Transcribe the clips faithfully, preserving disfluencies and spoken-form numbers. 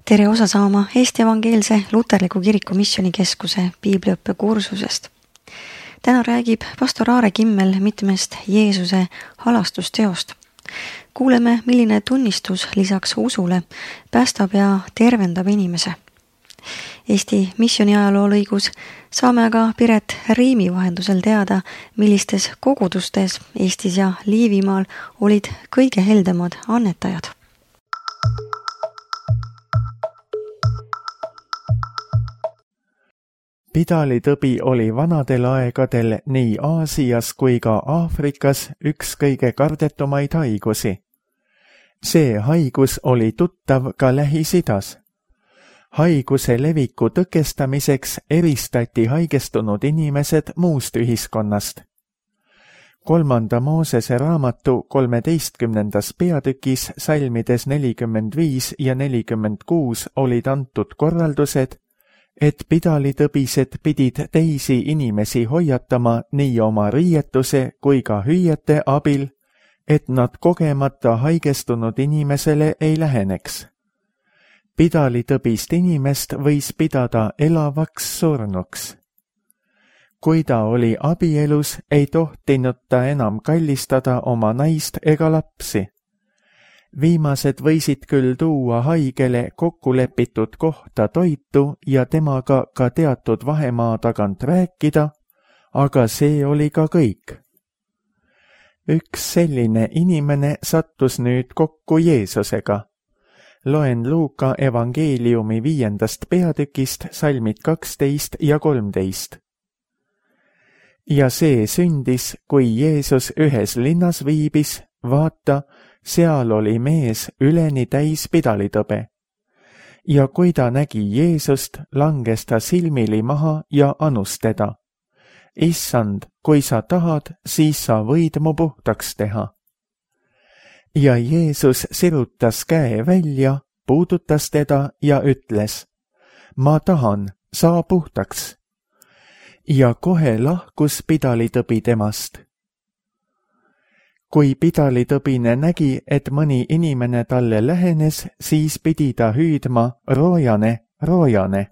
Tere osa saama Eesti Evangeelse Luterliku Kiriku Missioonikeskuse piibliõppe kursusest. Täna räägib pastor Aare Kimmel mitmest Jeesuse halastusteost. Kuuleme, milline tunnistus lisaks usule päästab ja tervendab inimese. Eesti missiooni ajaloo lõigus saame aga Piret Riimi vahendusel teada, millistes kogudustes Eestis ja Liivimaal olid kõige heldemad annetajad. Pidalitõbi oli vanadel aegadel nii Aasias kui ka Aafrikas üks kõige kardetumaid haigusi. See haigus oli tuttav ka Lähis-Idas. Haiguse leviku tõkestamiseks eristati haigestunud inimesed muust ühiskonnast. Kolmanda Moosese raamatu kolmeteistkümnendas peatükis salmides nelikümmend viis ja nelikümmend kuus olid antud korraldused, et pidalitõbised pidid teisi inimesi hoiatama nii oma riietuse kui ka hüüete abil, et nad kogemata haigestunud inimesele ei läheneks. Pidalitõbist inimest võis pidada elavaks surnuks. Kui ta oli abielus, ei tohtinud ta enam kallistada oma naist ega lapsi. Viimased võisid küll tuua haigele kokkulepitud kohta toitu ja temaga ka teatud vahemaa tagant rääkida, aga see oli ka kõik. Üks selline inimene sattus nüüd kokku Jeesusega. Loen Luuka evangeeliumi viiendast peatükist salmid kaksteist ja kolmteist. Ja see sündis, kui Jeesus ühes linnas viibis, vaata, seal oli mees üleni täis pidalitõbe. Ja kui ta nägi Jeesust, langes ta silmili maha ja anus teda. Issand, kui sa tahad, siis sa võid mu puhtaks teha. Ja Jeesus sirutas käe välja, puudutas teda ja ütles, ma tahan, saa puhtaks. Ja kohe lahkus pidalitõbi temast. Kui pidalitõbine nägi, et mõni inimene talle lähenes, siis pidi ta hüüdma roojane, roojane.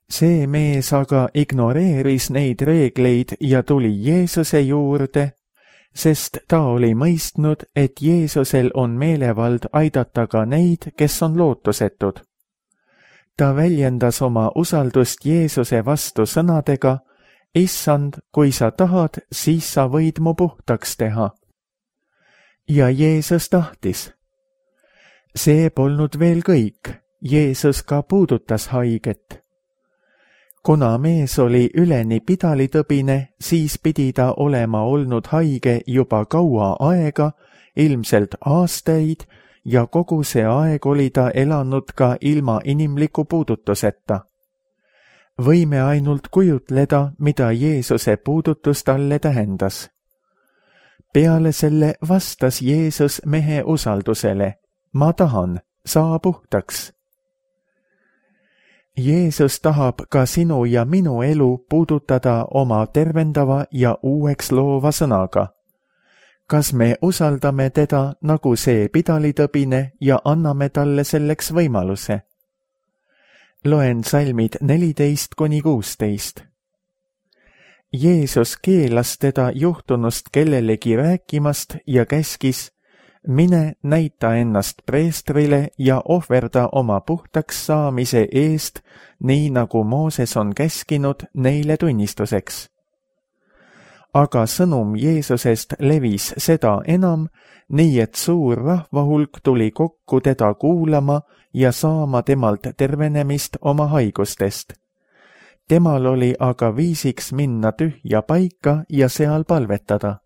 See mees aga ignoreeris neid reegleid ja tuli Jeesuse juurde, sest ta oli mõistnud, et Jeesusel on meelevald aidata ka neid, kes on lootusetud. Ta väljendas oma usaldust Jeesuse vastu sõnadega, Issand, kui sa tahad, siis sa võid mu puhtaks teha. Ja Jeesus tahtis. See polnud veel kõik, Jeesus ka puudutas haiget. Kuna mees oli üleni pidalitõbine, siis pidi ta olema olnud haige juba kaua aega, ilmselt aastaid, ja kogu see aeg oli ta elanud ka ilma inimliku puudutuseta. Võime ainult kujutleda, mida Jeesuse puudutus talle tähendas. Peale selle vastas Jeesus mehe usaldusele, ma tahan, saa puhtaks. Jeesus tahab ka sinu ja minu elu puudutada oma tervendava ja uueks loova sõnaga. Kas me usaldame teda nagu see pidalitõbine ja anname talle selleks võimaluse? Loen salmid neliteist kuni kuusteist. Jeesus keelas teda juhtunust kellelegi rääkimast ja käskis, mine näita ennast preestrile ja ohverda oma puhtaks saamise eest, nii nagu Mooses on käskinud neile tunnistuseks. Aga sõnum Jeesusest levis seda enam, nii et suur rahvahulk tuli kokku teda kuulama ja saama temalt tervenemist oma haigustest. Temal oli aga viisiks minna tühja paika ja seal palvetada.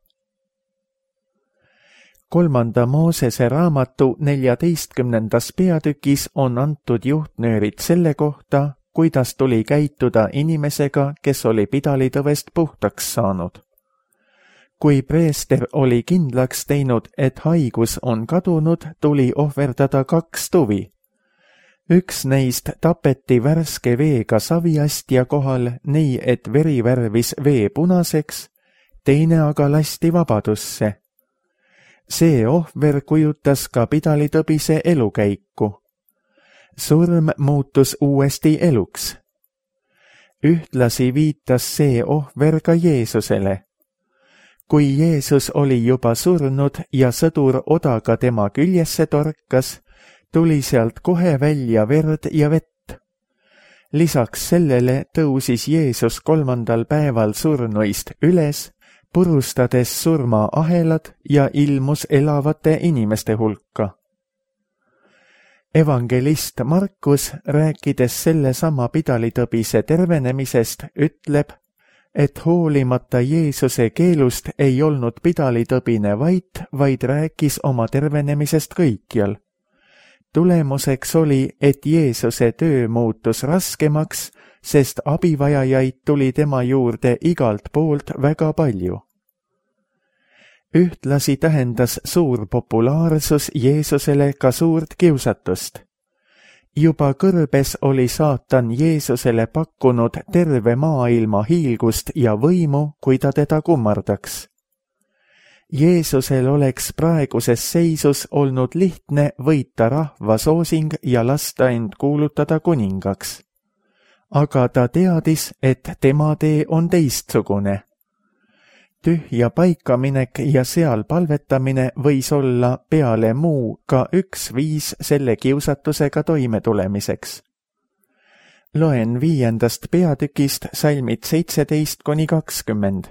Kolmanda Moosese raamatu neljateistkümnendas peatükis on antud juhtnöörid selle kohta, kuidas tuli käituda inimesega, kes oli pidalitõvest puhtaks saanud. Kui preester oli kindlaks teinud, et haigus on kadunud, tuli ohverdada kaks tuvi. Üks neist tapeti värske veega saviastja kohal, nii et veri värvis vee punaseks, teine aga lasti vabadusse. See ohver kujutas ka pidalitõbise elukäiku. surm muutus uuesti eluks. Ühtlasi viitas see ohver ka Jeesusele. Kui Jeesus oli juba surnud ja sõdur odaga tema küljesse torkas, tuli sealt kohe välja verd ja vett. Lisaks sellele tõusis Jeesus kolmandal päeval surnuist üles, purustades surmaahelad ja ilmus elavate inimeste hulka. Evangelist Markus, rääkides sellesama pidalitõbise tervenemisest, ütleb, et hoolimata Jeesuse keelust ei olnud pidalitõbine vait, vaid rääkis oma tervenemisest kõikjal. Tulemuseks oli, et Jeesuse töö muutus raskemaks, sest abivajajaid tuli tema juurde igalt poolt väga palju. Ühtlasi tähendas suur populaarsus Jeesusele ka suurt kiusatust. Juba kõrbes oli saatan Jeesusele pakkunud terve maailma hiilgust ja võimu, kui ta teda kummardaks. Jeesusel oleks praeguses seisus olnud lihtne võita rahva soosing ja lasta end kuulutada kuningaks. Aga ta teadis, et tema tee on teistsugune. Tühja paikaminek ja seal palvetamine võis olla peale muu ka üks viis selle kiusatusega toimetulemiseks. Loen viiendast peatükist salmid seitseteist kuni kakskümmend.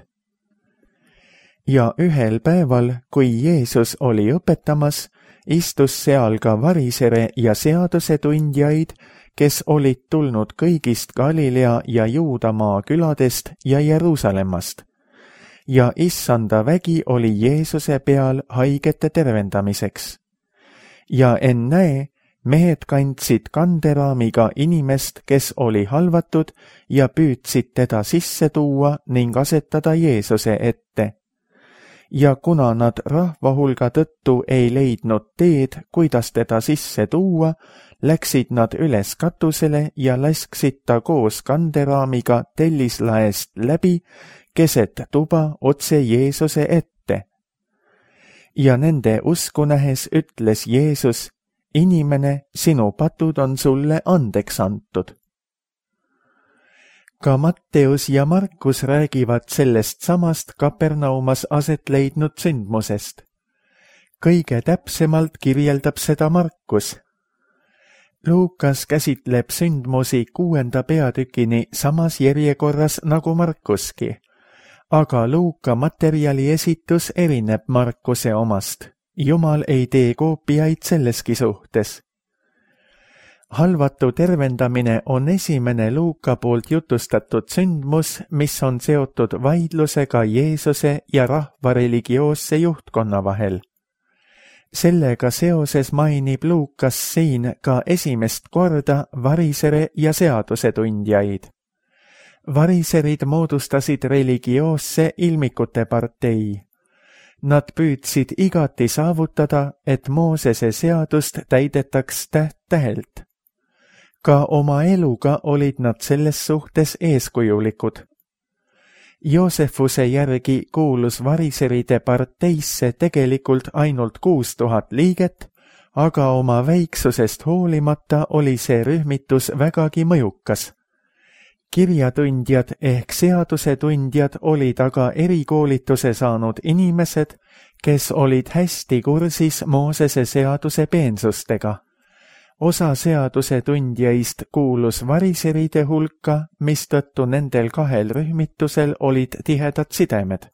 Ja ühel päeval, kui Jeesus oli õpetamas, istus seal ka varisere ja seadusetundjaid, kes olid tulnud kõigist Galilea ja Juudamaa küladest ja Jeruusalemmast. Ja issanda vägi oli Jeesuse peal haigete tervendamiseks. Ja ennäe, mehed kandsid kanderaamiga inimest, kes oli halvatud, ja püüdsid teda sisse tuua ning asetada Jeesuse ette. Ja kuna nad rahva hulga tõttu ei leidnud teed, kuidas teda sisse tuua, läksid nad üles katusele ja lasksid ta koos kanderaamiga tellislaest läbi, keset tuba otse Jeesuse ette. Ja nende usku nähes ütles Jeesus, inimene, sinu patud on sulle andeks antud. Ka Matteus ja Markus räägivad sellest samast Kapernaumas aset leidnud sündmusest. Kõige täpsemalt kirjeldab seda Markus. Luukas käsitleb sündmusi kuuenda peatükini samas järjekorras nagu Markuski, aga Luuka materjali esitus erineb Markuse omast. Jumal ei tee koopiaid selleski suhtes. Halvatu tervendamine on esimene Luuka poolt jutustatud sündmus, mis on seotud vaidlusega Jeesuse ja rahva religioosse juhtkonna vahel. Sellega seoses mainib Luukas siin ka esimest korda varisere ja seadusetundjaid. Variserid moodustasid religioosse ilmikute partei. Nad püüdsid igati saavutada, et Moosese seadust täidetaks täht-tähelt. Ka oma eluga olid nad selles suhtes eeskujulikud. Joosefuse järgi kuulus variseride parteisse tegelikult ainult kuus tuhat liiget, aga oma väiksusest hoolimata oli see rühmitus vägagi mõjukas. Kirjatundjad ehk seadusetundjad olid aga erikoolituse saanud inimesed, kes olid hästi kursis Moosese seaduse peensustega. Osa seadusetundjaist kuulus variseride hulka, mistõttu nendel kahel rühmitusel olid tihedad sidemed.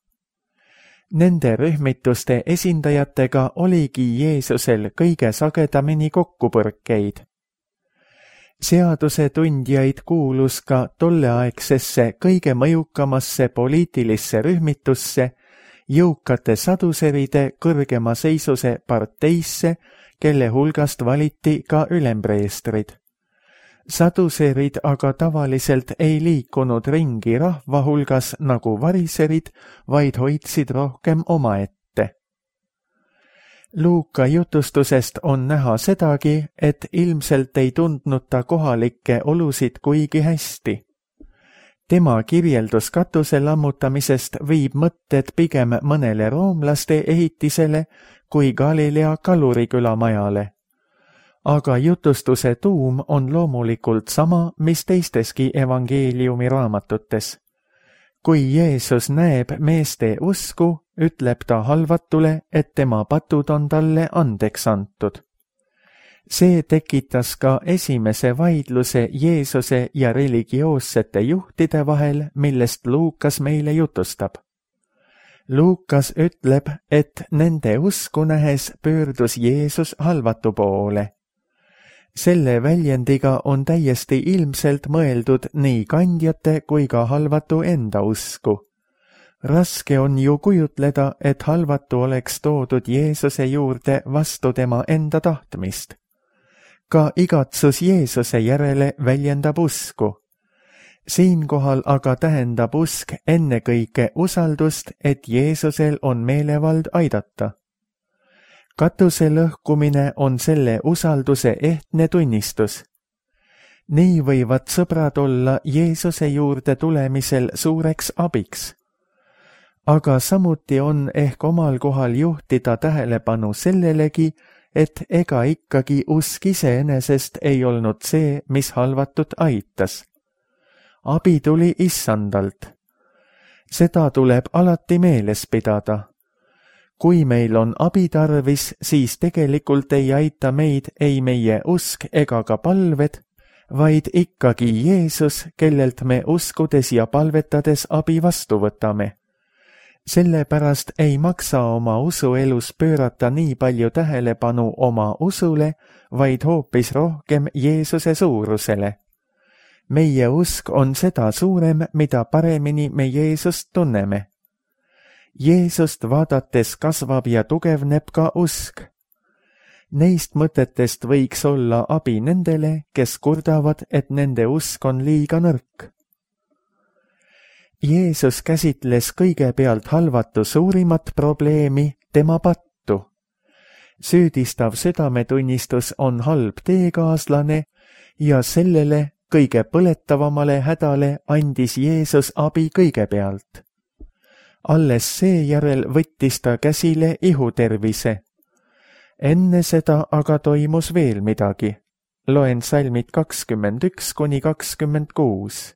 Nende rühmituste esindajatega oligi Jeesusel kõige sagedamini kokkupõrkeid. Seadusetundjaid kuulus ka tolleaegsesse kõige mõjukamasse poliitilisse rühmitusse, jõukate saduseride kõrgema seisuse parteisse, kelle hulgast valiti ka ülempreestrid. Saduserid aga tavaliselt ei liikunud ringi rahva hulgas nagu variserid, vaid hoidsid rohkem omaette. Luuka jutustusest on näha sedagi, et ilmselt ei tundnud ta kohalikke olusid kuigi hästi. Tema kirjeldus katuse lammutamisest viib mõtted pigem mõnele roomlaste ehitisele kui Galilea kaluriküla majale. aga jutustuse tuum on loomulikult sama, mis teisteski evangeeliumi raamatutes. Kui Jeesus näeb meeste usku, ütleb ta halvatule, et tema patud on talle andeks antud. See tekitas ka esimese vaidluse Jeesuse ja religioossete juhtide vahel, millest Luukas meile jutustab. Luukas ütleb, et nende usku nähes pöördus Jeesus halvatu poole. Selle väljendiga on täiesti ilmselt mõeldud nii kandjate kui ka halvatu enda usku. Raske on ju kujutleda, et halvatu oleks toodud Jeesuse juurde vastu tema enda tahtmist. Ka igatsus Jeesuse järele väljendab usku. Siinkohal aga tähendab usk ennekõike usaldust, et Jeesusel on meelevald aidata. Katuse lõhkumine on selle usalduse ehtne tunnistus. Nii võivad sõbrad olla Jeesuse juurde tulemisel suureks abiks. Aga samuti on ehk omal kohal juhtida tähelepanu sellelegi, et ega ikkagi usk iseenesest ei olnud see, mis halvatut aitas. Abi tuli Issandalt. Seda tuleb alati meeles pidada. Kui meil on abi tarvis, siis tegelikult ei aita meid ei meie usk ega ka palved, vaid ikkagi Jeesus, kellelt me uskudes ja palvetades abi vastu võtame. Sellepärast ei maksa oma usuelus pöörata nii palju tähelepanu oma usule, vaid hoopis rohkem Jeesuse suurusele. Meie usk on seda suurem, mida paremini me Jeesust tunneme. Jeesust vaadates kasvab ja tugevneb ka usk. Neist mõtetest võiks olla abi nendele, kes kurdavad, et nende usk on liiga nõrk. Jeesus käsitles kõigepealt halvatu suurimat probleemi, tema pattu. Süüdistav südametunnistus on halb teekaaslane ja sellele kõige põletavamale hädale andis Jeesus abi kõigepealt. Alles seejärel võttis ta käsile ihutervise. Enne seda aga toimus veel midagi. Loen salmid kakskümmend üks kuni kakskümmend kuus.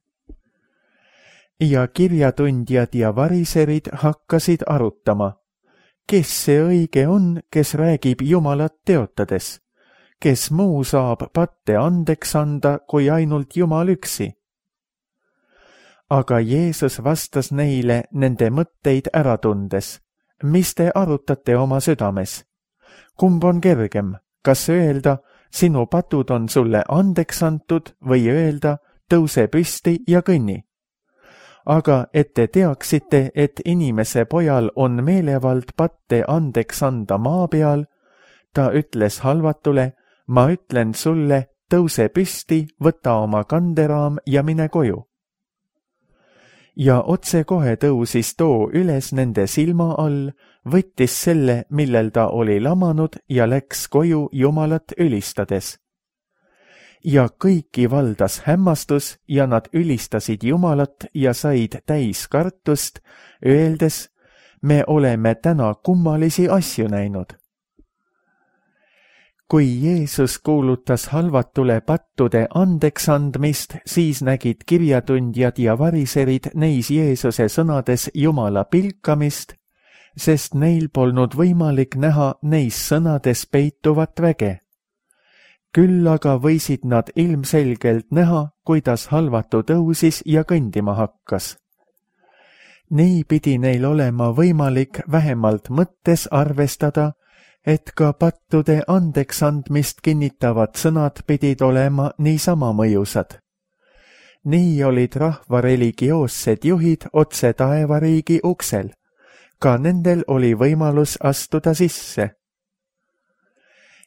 Ja kirjatundjad ja variserid hakkasid arutama. Kes see õige on, kes räägib Jumalat teotades? Kes muu saab patte andeks anda, kui ainult Jumal üksi? Aga Jeesus vastas neile nende mõtteid ära tundes. Mis te arutate oma südames? Kumb on kergem, kas öelda, sinu patud on sulle andeks antud, või öelda, tõuse püsti ja kõnni? Aga et te teaksite, et inimese pojal on meelevald patte andeks anda maa peal, ta ütles halvatule, ma ütlen sulle, tõuse püsti, võta oma kanderaam ja mine koju. Ja otsekohe tõusis too üles nende silma all, võttis selle, millel ta oli lamanud ja läks koju Jumalat ülistades. Ja kõiki valdas hämmastus ja nad ülistasid Jumalat ja said täis kartust, öeldes, me oleme täna kummalisi asju näinud. Kui Jeesus kuulutas halvatule pattude andeks andmist, siis nägid kirjatundjad ja variserid neis Jeesuse sõnades Jumala pilkamist, sest neil polnud võimalik näha neis sõnades peituvat väge. Küll aga võisid nad ilmselgelt näha, kuidas halvatu tõusis ja kõndima hakkas. Nii pidi neil olema võimalik vähemalt mõttes arvestada, et ka pattude andeks andmist kinnitavad sõnad pidid olema niisama mõjusad. Nii olid rahva religioossed juhid otse taevariigi uksel. Ka nendel oli võimalus astuda sisse.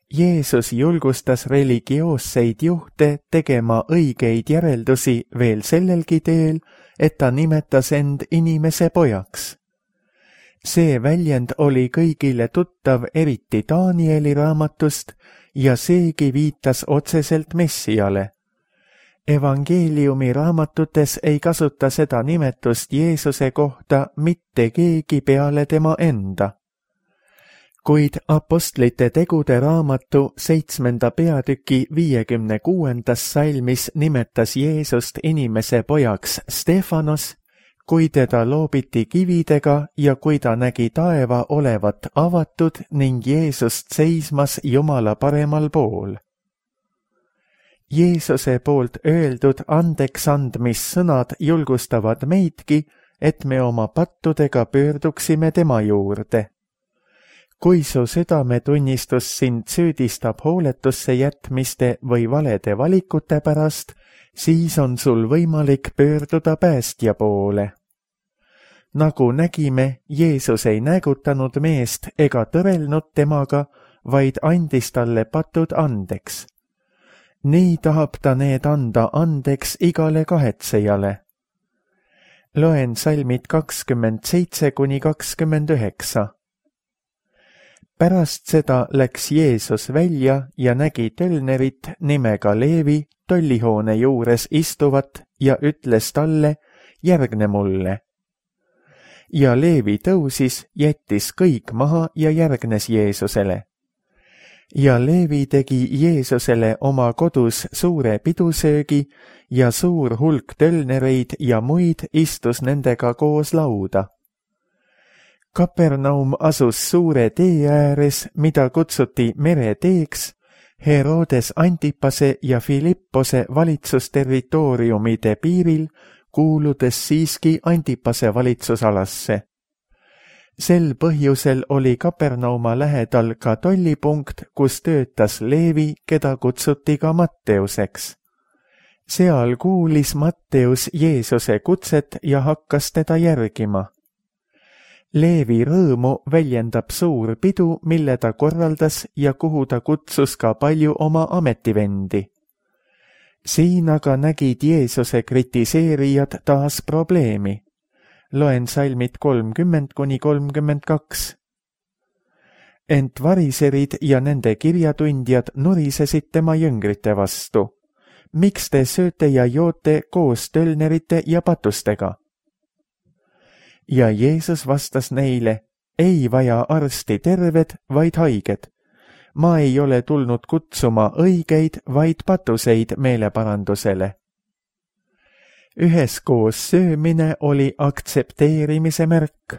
Jeesus julgustas religioosseid juhte tegema õigeid järeldusi veel sellelgi teel, et ta nimetas end inimese pojaks. See väljend oli kõigile tuttav eriti Danieli raamatust ja seegi viitas otseselt Messiale. Evangeeliumi raamatutes ei kasuta seda nimetust Jeesuse kohta mitte keegi peale tema enda. kuid Apostlite tegude raamatu seitsmenda peatüki viiekümne kuuendas salmis nimetas Jeesust inimese pojaks Stefanos, kui teda loobiti kividega ja kui ta nägi taeva olevat avatud ning Jeesust seismas Jumala paremal pool. Jeesuse poolt öeldud andeksandmissõnad julgustavad meidki, et me oma pattudega pöörduksime tema juurde. Kui su südametunnistus sind süüdistab hooletusse jätmiste või valede valikute pärast, siis on sul võimalik pöörduda päästja poole. Nagu nägime, Jeesus ei näägutanud meest ega tõrelnud temaga, vaid andis talle patud andeks. Nii tahab ta need anda andeks igale kahetsejale. Loen salmid kakskümmend seitse kuni kakskümmend üheksa. Pärast seda läks Jeesus välja ja nägi tölnerit nimega Leevi tollihoone juures istuvat ja ütles talle, järgne mulle. Ja Leevi tõusis, jättis kõik maha ja järgnes Jeesusele. Ja Leevi tegi Jeesusele oma kodus suure pidusöögi ja suur hulk tölnereid ja muid istus nendega koos lauda. Kapernaum asus suure tee ääres, mida kutsuti mereteeks, Herodes Antipase ja Filippose valitsusterritooriumide piiril, kuuludes siiski Antipase valitsusalasse. Sel põhjusel oli Kapernauma lähedal ka tollipunkt, kus töötas Leevi, keda kutsuti ka Matteuseks. Seal kuulis Matteus Jeesuse kutset ja hakkas teda järgima. Leevi rõõmu väljendab suur pidu, mille ta korraldas ja kuhu ta kutsus ka palju oma ametivendi. Siin aga nägid Jeesuse kritiseerijad taas probleemi. Loen salmid kolmkümmend kuni kolmkümmend kaks. Ent variserid ja nende kirjatundjad nurisesid tema jüngrite vastu. Miks te sööte ja joote koos tölnerite ja patustega? Ja Jeesus vastas neile, ei vaja arsti terved, vaid haiged. Ma ei ole tulnud kutsuma õigeid, vaid patuseid meeleparandusele. Üheskoos söömine oli aktsepteerimise märk.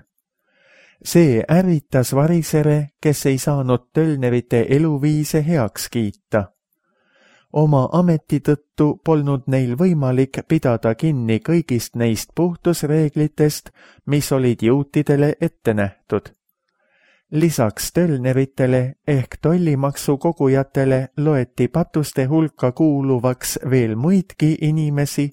See ärritas varisere, kes ei saanud tölnerite eluviise heaks kiita. Oma ameti tõttu polnud neil võimalik pidada kinni kõigist neist puhtusreeglitest, mis olid juutidele ette nähtud. Lisaks tölneritele ehk tollimaksu kogujatele loeti patuste hulka kuuluvaks veel muidki inimesi,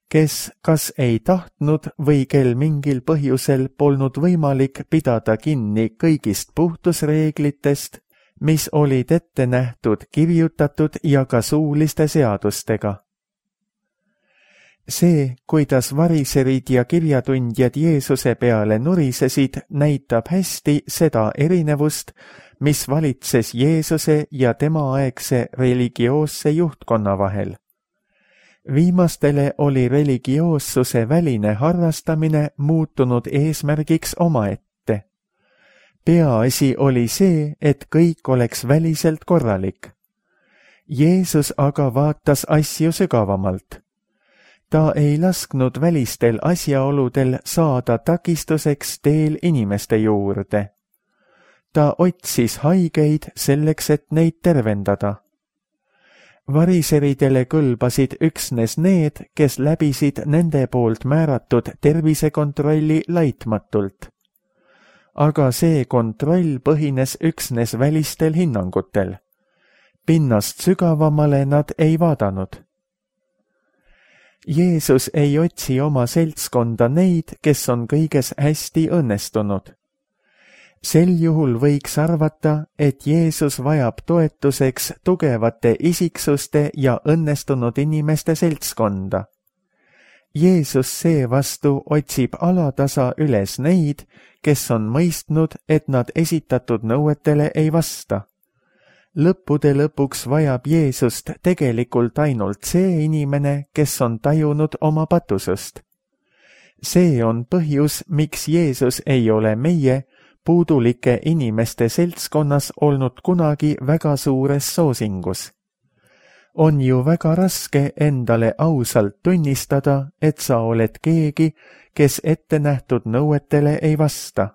kes kas ei tahtnud või kel mingil põhjusel polnud võimalik pidada kinni kõigist puhtusreeglitest, mis olid ette nähtud kirjutatud ja ka suuliste seadustega. See, kuidas variserid ja kirjatundjad Jeesuse peale nurisesid, näitab hästi seda erinevust, mis valitses Jeesuse ja temaaegse religioosse juhtkonna vahel. Viimastele oli religioossuse väline harrastamine muutunud eesmärgiks omaette. Peaasi oli see, et kõik oleks väliselt korralik. Jeesus aga vaatas asju sügavamalt. Ta ei lasknud välistel asjaoludel saada takistuseks teel inimeste juurde. Ta otsis haigeid selleks, et neid tervendada. Variseridele kõlbasid üksnes need, kes läbisid nende poolt määratud tervisekontrolli laitmatult. Aga see kontroll põhines üksnes välistel hinnangutel. Pinnast sügavamale nad ei vaadanud. Jeesus ei otsi oma seltskonda neid, kes on kõiges hästi õnnestunud. Sel juhul võiks arvata, et Jeesus vajab toetuseks tugevate isiksuste ja õnnestunud inimeste seltskonda. Jeesus seevastu otsib alatasa üles neid, kes on mõistnud, et nad esitatud nõuetele ei vasta. Lõppude lõpuks vajab Jeesust tegelikult ainult see inimene, kes on tajunud oma patusust. See on põhjus, miks Jeesus ei ole meie, puudulike inimeste seltskonnas olnud kunagi väga suures soosingus. On ju väga raske endale ausalt tunnistada, et sa oled keegi, kes ette nähtud nõuetele ei vasta.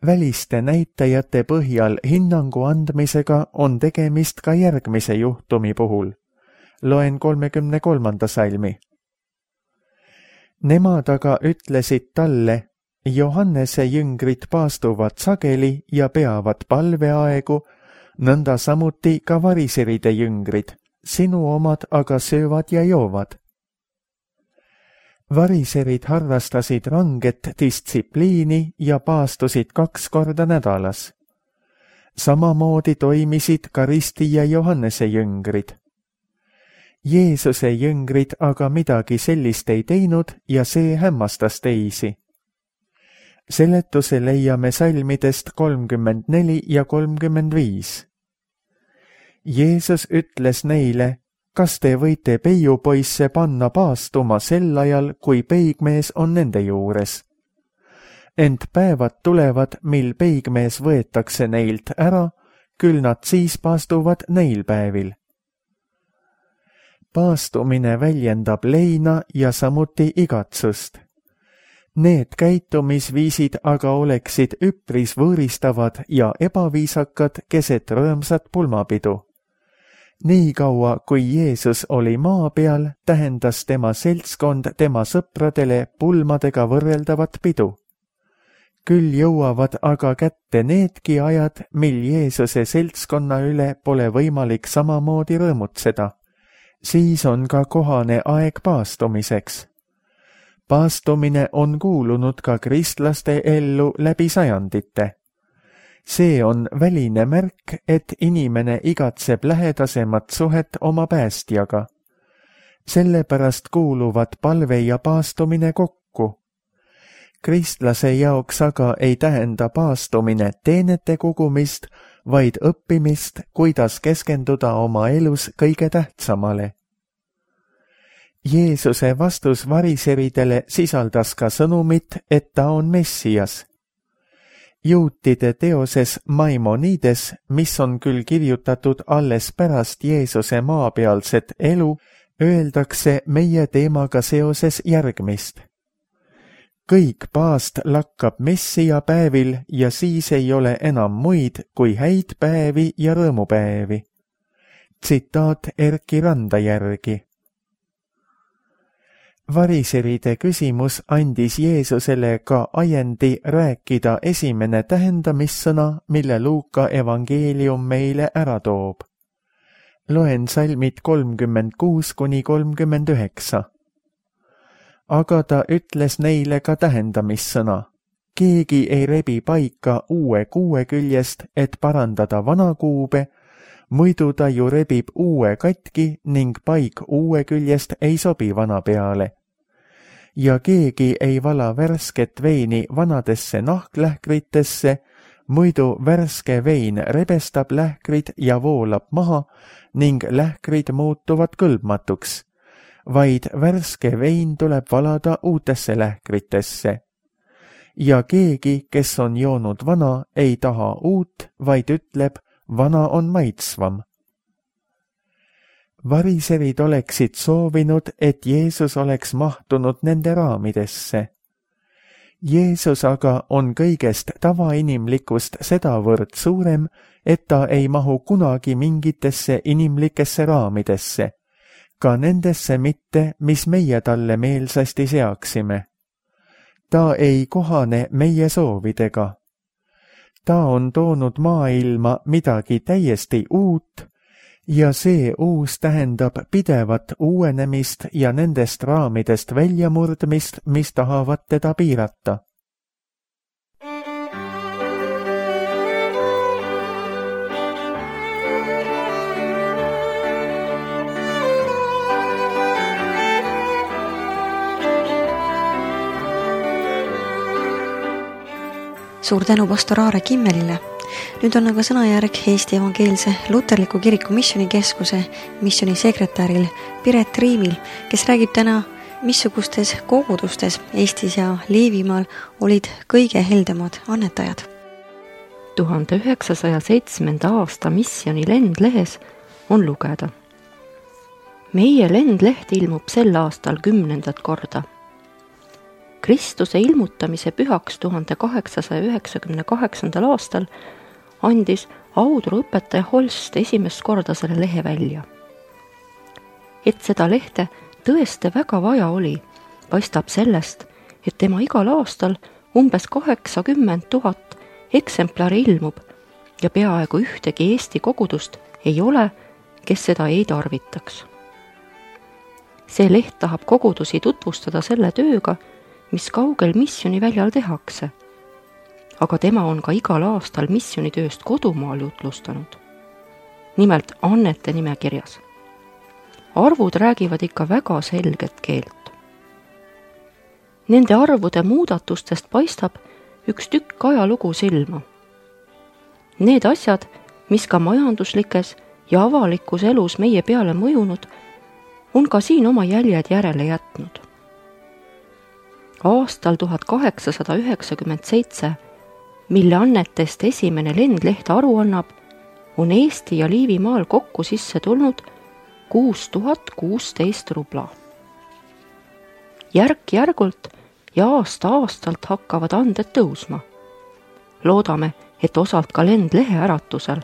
Väliste näitajate põhjal hinnangu andmisega on tegemist ka järgmise juhtumi puhul. Loen kolmekümne kolmanda salmi. Nemad aga ütlesid talle, Johannese jüngrid paastuvad sageli ja peavad palveaegu, nõnda samuti ka variseride jüngrid, sinu omad aga söövad ja joovad. Variserid harrastasid ranget distsipliini ja paastusid kaks korda nädalas. Samamoodi toimisid ka Risti ja Johannese jüngrid. Jeesuse jüngrid aga midagi sellist ei teinud ja see hämmastas teisi. Seletuse leiame salmidest kolmkümmend neli ja kolmkümmend viis. Jeesus ütles neile, kas te võite peiupoisse panna paastuma sel ajal, kui peigmees on nende juures? Ent päevad tulevad, mil peigmees võetakse neilt ära, küll nad siis paastuvad neil päevil. Paastumine väljendab leina ja samuti igatsust. Need käitumisviisid aga oleksid üpris võõristavad ja ebaviisakad keset rõõmsat pulmapidu. Nii kaua, kui Jeesus oli maa peal, tähendas tema seltskond tema sõpradele pulmadega võrreldavat pidu. Küll jõuavad aga kätte needki ajad, mil Jeesuse seltskonna üle pole võimalik samamoodi rõõmutseda. Siis on ka kohane aeg paastumiseks. Paastumine on kuulunud ka kristlaste ellu läbi sajandite. See on väline märk, et inimene igatseb lähedasemat suhet oma päästjaga. Sellepärast kuuluvad palve ja paastumine kokku. Kristlase jaoks aga ei tähenda paastumine teenete kogumist, vaid õppimist, kuidas keskenduda oma elus kõige tähtsamale. Jeesuse vastus variseridele sisaldas ka sõnumit, et ta on Messias. Juutide teoses Maimonides, mis on küll kirjutatud alles pärast Jeesuse maapealset elu, öeldakse meie teemaga seoses järgmist. Kõik paast lakkab Messia päevil ja siis ei ole enam muid kui häid päevi ja rõõmupäevi. Tsitaat Erki Randa järgi. Variseride küsimus andis Jeesusele ka ajendi rääkida esimene tähendamissõna, mille Luuka evangeelium meile ära toob. Loen salmid kolmkümmend kuus kuni kolmkümmend üheksa. Aga ta ütles neile ka tähendamissõna. Keegi ei rebi paika uue kuue küljest, et parandada vana kuube, muidu ta ju rebib uue katki ning paik uue küljest ei sobi vana peale. Ja keegi ei vala värsket veini vanadesse nahklähkritesse, muidu värske vein rebestab lähkrid ja voolab maha ning lähkrid muutuvad kõlbmatuks, vaid värske vein tuleb valada uutesse lähkritesse. Ja keegi, kes on joonud vana, ei taha uut, vaid ütleb, vana on maitsvam. Variserid oleksid soovinud, et Jeesus oleks mahtunud nende raamidesse. Jeesus aga on kõigest tavainimlikust sedavõrd suurem, et ta ei mahu kunagi mingitesse inimlikesse raamidesse, ka nendesse mitte, mis meie talle meelsasti seaksime. Ta ei kohane meie soovidega. Ta on toonud maailma midagi täiesti uut, ja see uus tähendab pidevat uuenemist ja nendest raamidest väljamurdmist, mis tahavad teda piirata. Suur tänu pastor Aare Kimmelile. Nüüd on aga sõnajärg Eesti Evangeelse Luterliku Kiriku Missionikeskuse missioonisekretäril Piret Riimil, kes räägib täna missugustes kogudustes Eestis ja Liivimaal olid kõige heldemad annetajad? tuhande üheksasaja seitsmenda aasta missiooni lendlehes on lugeda. Meie lendleht ilmub sel aastal kümnendat korda. Kristuse ilmutamise pühaks tuhande kaheksasaja üheksakümne kaheksandal aastal andis Audru õpetaja Holst esimest korda selle lehe välja. Et seda lehte tõesti väga vaja oli, paistab sellest, et tema igal aastal umbes kaheksakümmend tuhat eksemplari ilmub ja peaaegu ühtegi Eesti kogudust ei ole, kes seda ei tarvitaks. See leht tahab kogudusi tutvustada selle tööga, mis kaugel missioniväljal tehakse. Aga tema on ka igal aastal missionitööst kodumaal jutlustanud. Nimelt annete nimekirjas. Arvud räägivad ikka väga selget keelt. Nende arvude muudatustest paistab üks tükk ajalugu silma. Need asjad, mis ka majanduslikes ja avalikus elus meie peale mõjunud, on ka siin oma jäljed järele jätnud. Aastal tuhat kaheksasada üheksakümmend seitse, mille annetest esimene lendleht aru annab, on Eesti ja Liivimaal kokku sisse tulnud kuus tuhat kuusteist rubla. Järk-järgult ja aasta-aastalt hakkavad anded tõusma. Loodame, et osalt ka lendlehe äratusel.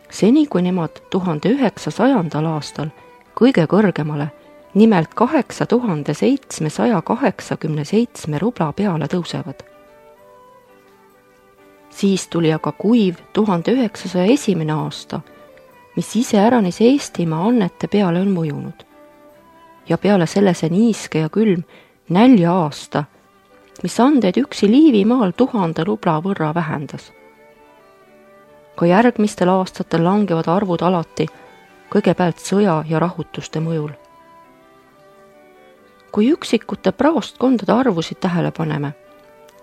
Seni, kui nemad tuhande üheksasajandal aastal kõige kõrgemale, nimelt kaheksa tuhande seitsmesaja kaheksakümne seitsme rubla peale tõusevad. Siis tuli aga kuiv tuhande üheksasaja esimene aasta, mis iseäranis Eestimaa annete peale on mõjunud. Ja peale selle see niiske ja külm nälja aasta, mis andeid üksi Liivimaal tuhande rubla võrra vähendas. Ka järgmistel aastatel langevad arvud alati, kõigepealt sõja ja rahutuste mõjul. Kui üksikute praostkondade arvusid tähele paneme,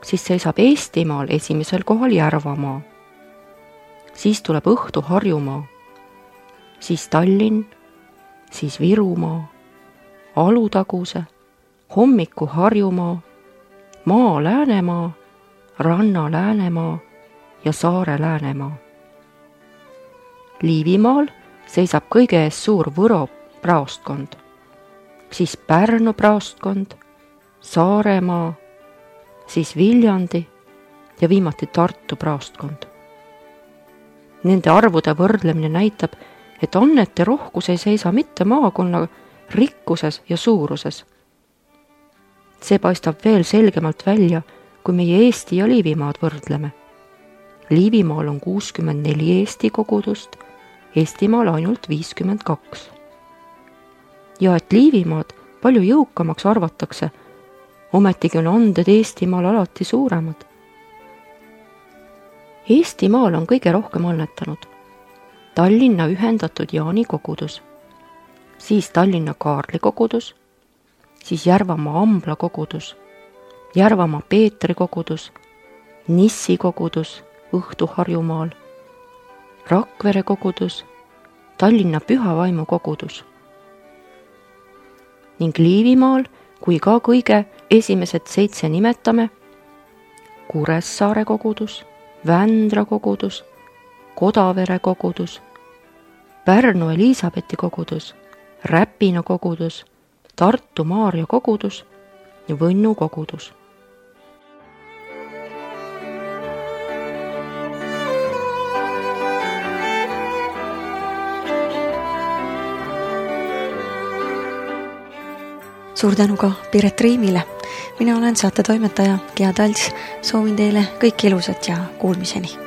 siis seisab Eestimaal esimesel kohal Järvamaa. Siis tuleb õhtu Harjumaa, siis Tallinn, siis Virumaa, Alutaguse, hommiku Harjumaa, Maa Läänemaa, Ranna Läänemaa ja Saare Läänemaa. Liivimaal seisab kõige ees suur Võro praostkond, siis Pärnu praostkond, Saaremaa, siis Viljandi ja viimati Tartu praostkond. Nende arvude võrdlemine näitab, et annete rohkus ei seisa mitte maakonna rikkuses ja suuruses. See paistab veel selgemalt välja, kui meie Eesti ja Liivimaad võrdleme. Liivimaal on kuuskümmend neli Eesti kogudust, Eestimaal ainult viiskümmend kaks. Ja et Liivimaad palju jõukamaks arvatakse, ometigi on anded Eestimaal alati suuremad. Eestimaal on kõige rohkem annetanud Tallinna ühendatud Jaani kogudus, siis Tallinna Kaarli kogudus, siis Järvamaa Ambla kogudus, Järvamaa Peetri kogudus, Nissi kogudus Õhtu Harjumaal, Rakvere kogudus, Tallinna Pühavaimu kogudus. Ning Liivimaal, kui ka kõige esimesed seitse nimetame, Kuressaare kogudus, Vändra kogudus, Kodavere kogudus, Pärnu Elisabethi kogudus, Räpina kogudus, Tartu Maarja kogudus ja Võnnu kogudus. Suur tänu ka Piret Riimile. Mina olen saate toimetaja Gea Talts. Soovin teile kõik ilusat ja kuulmiseni.